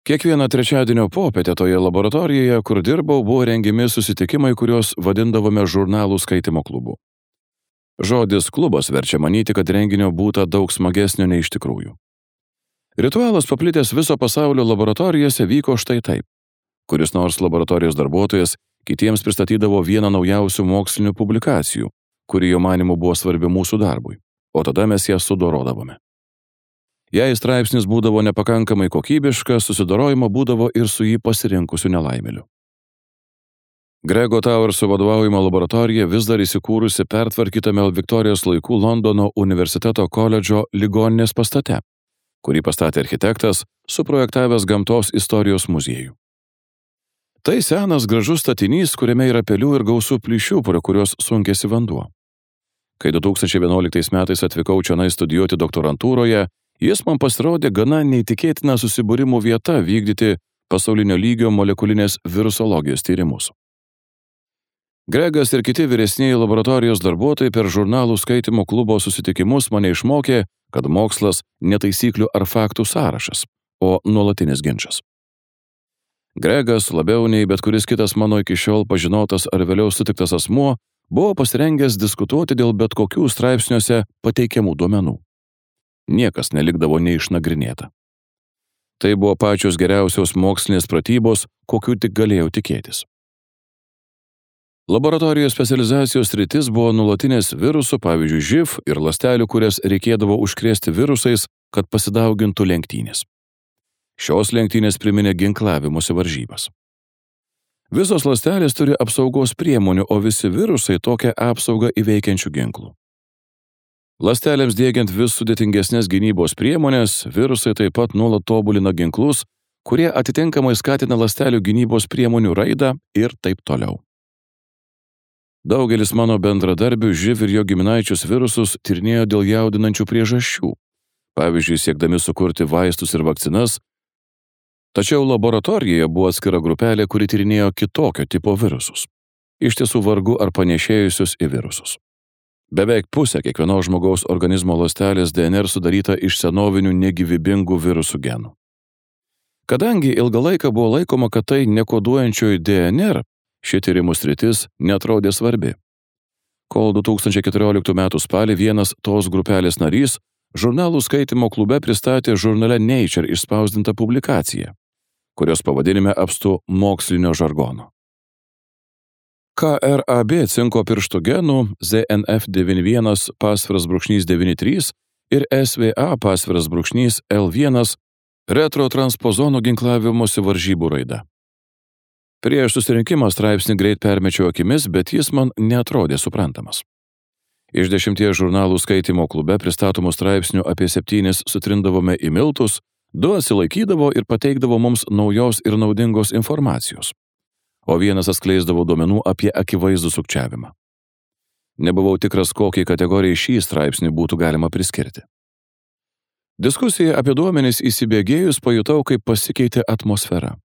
Kiekvieną trečiadienio popietę toje laboratorijoje, kur dirbau, buvo rengiami susitikimai, kuriuos vadindavome žurnalų skaitimo klubu. Žodis klubas verčia manyti, kad renginio būta daug smagesnio nei iš tikrųjų. Ritualas paplitęs viso pasaulio laboratorijose vyko štai taip. Kuris nors laboratorijos darbuotojas kitiems pristatydavo vieną naujausių mokslinių publikacijų, kuri jo manimu buvo svarbi mūsų darbui, o tada mes ją sudorodavome. Jei straipsnis būdavo nepakankamai kokybiškas, susidorojimo būdavo ir su jį pasirinkusiu nelaimėliu. Grego Towerso vadovaujama laboratorija vis dar įsikūrusi pertvarkytame Viktorijos laikų Londono universiteto koledžo ligoninės pastate, kurį pastatė architektas, suprojektavęs gamtos istorijos muziejų. Tai senas gražus statinys, kuriame yra pelių ir gausų plyšių, pro kurios sunkėsi vanduo. Kai 2011 metais atvykau čionai studijuoti doktorantūroje, jis man pasirodė gana neįtikėtina susibūrimų vieta vykdyti pasaulinio lygio molekulinės virusologijos tyrimus. Gregas ir kiti vyresnieji laboratorijos darbuotojai per žurnalų skaitimo klubo susitikimus mane išmokė, kad mokslas ne taisyklių ar faktų sąrašas, o nuolatinis ginčas. Gregas, labiau nei bet kuris kitas mano iki šiol pažinotas ar vėliau sutiktas asmuo, buvo pasirengęs diskutuoti dėl bet kokių straipsniuose pateikiamų duomenų. Niekas nelikdavo neišnagrinėta. Tai buvo pačios geriausios mokslinės pratybos, kokių tik galėjau tikėtis. Laboratorijos specializacijos sritis buvo nuolatinės virusų, pavyzdžiui, živ ir ląstelių, kurias reikėdavo užkrėsti virusais, kad pasidaugintų lenktynės. Šios lenktynės priminė ginklavimosi varžybas. Visos ląstelės turi apsaugos priemonių, o visi virusai tokią apsaugą įveikiančių ginklų. Ląstelėms diegiant vis sudėtingesnės gynybos priemonės, virusai taip pat nuolat tobulina ginklus, kurie atitinkamai skatina ląstelių gynybos priemonių raidą ir taip toliau. Daugelis mano bendradarbių živ ir jo giminaičius virusus tyrinėjo dėl jaudinančių priežasčių, pavyzdžiui, siekdami sukurti vaistus ir vakcinas, tačiau laboratorijoje buvo atskira grupelė, kuri tyrinėjo kitokio tipo virusus, iš tiesų vargu ar panėšėjusius į virusus. Beveik pusė kiekvienos žmogaus organizmo ląstelės DNR sudaryta iš senovinių negyvybingų virusų genų. Kadangi ilgą laiką buvo laikoma, kad tai nekoduojančioji DNR, ši tyrimų sritis neatrodė svarbi. Kol 2014 m. spalį vienas tos grupelės narys žurnalų skaitimo klube pristatė žurnale Nature išspausdintą publikaciją, kurios pavadinime apstu mokslinio žargono. KRAB cinko pirštų genų ZNF91-93 ir SVA-L1 retrotranspozono ginklavimosi varžybų raida. Prieš susirinkimą straipsnį greit permečiau akimis, bet jis man neatrodė suprantamas. Iš 10 žurnalų skaitimo klube pristatomų straipsnių apie 7 sutrindavome į miltus, 2 atsilaikydavo ir pateikdavo mums naujos ir naudingos informacijos, o vienas atskleisdavo duomenų apie akivaizdų sukčiavimą. Nebuvau tikras, kokiai kategorijai šį straipsnį būtų galima priskirti. Diskusija apie duomenis įsibėgėjus pajutau, kaip pasikeitė atmosfera.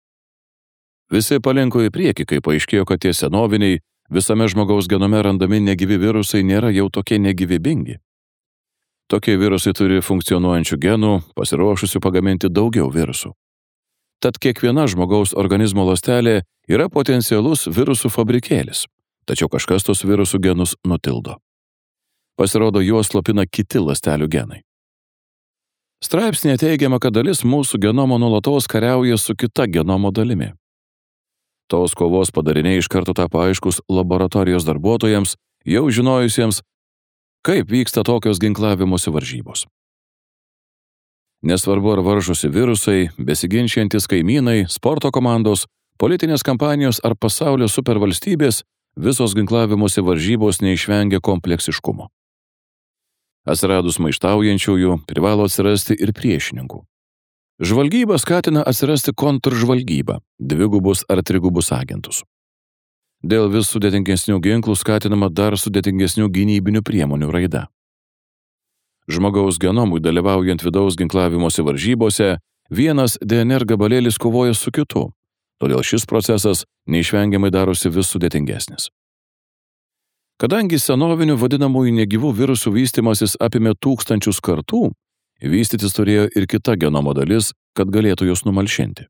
Visi palinko į priekį, kai paaiškėjo, kad tie senoviniai, visame žmogaus genome randami negyvi virusai nėra jau tokie negyvybingi. Tokie virusai turi funkcionuojančių genų, pasiruošusių pagaminti daugiau virusų. Tad kiekviena žmogaus organizmo ląstelė yra potencialus virusų fabrikėlis, tačiau kažkas tos virusų genus nutildo. Pasirodo, juos slopina kiti ląstelių genai. Straipsnėje teigiama, kad dalis mūsų genomo nuolatos kariauja su kita genomo dalimi. Tos kovos padariniai iš karto tapo aiškus laboratorijos darbuotojams, jau žinojusiems, kaip vyksta tokios ginklavimosi varžybos. Nesvarbu, ar varžosi virusai, besiginčiantys kaimynai, sporto komandos, politinės kampanijos ar pasaulio supervalstybės, visos ginklavimosi varžybos neišvengia kompleksiškumo. Atsiradus maištaujančiųjų, privalo atsirasti ir priešininkų. Žvalgyba skatina atsirasti kontržvalgybą, dvigubus ar trigubus agentus. Dėl vis sudėtingesnių ginklų skatinama dar sudėtingesnių gynybinių priemonių raida. Žmogaus genomui dalyvaujant vidaus ginklavimosi varžybose, vienas DNR gabalėlis kovoja su kitu, todėl šis procesas neišvengiamai darosi vis sudėtingesnis. Kadangi senovinių vadinamųjų negyvų virusų vystimasis apėmė tūkstančius kartų, vystytis turėjo ir kita genomo dalis, kad galėtų juos numalšinti.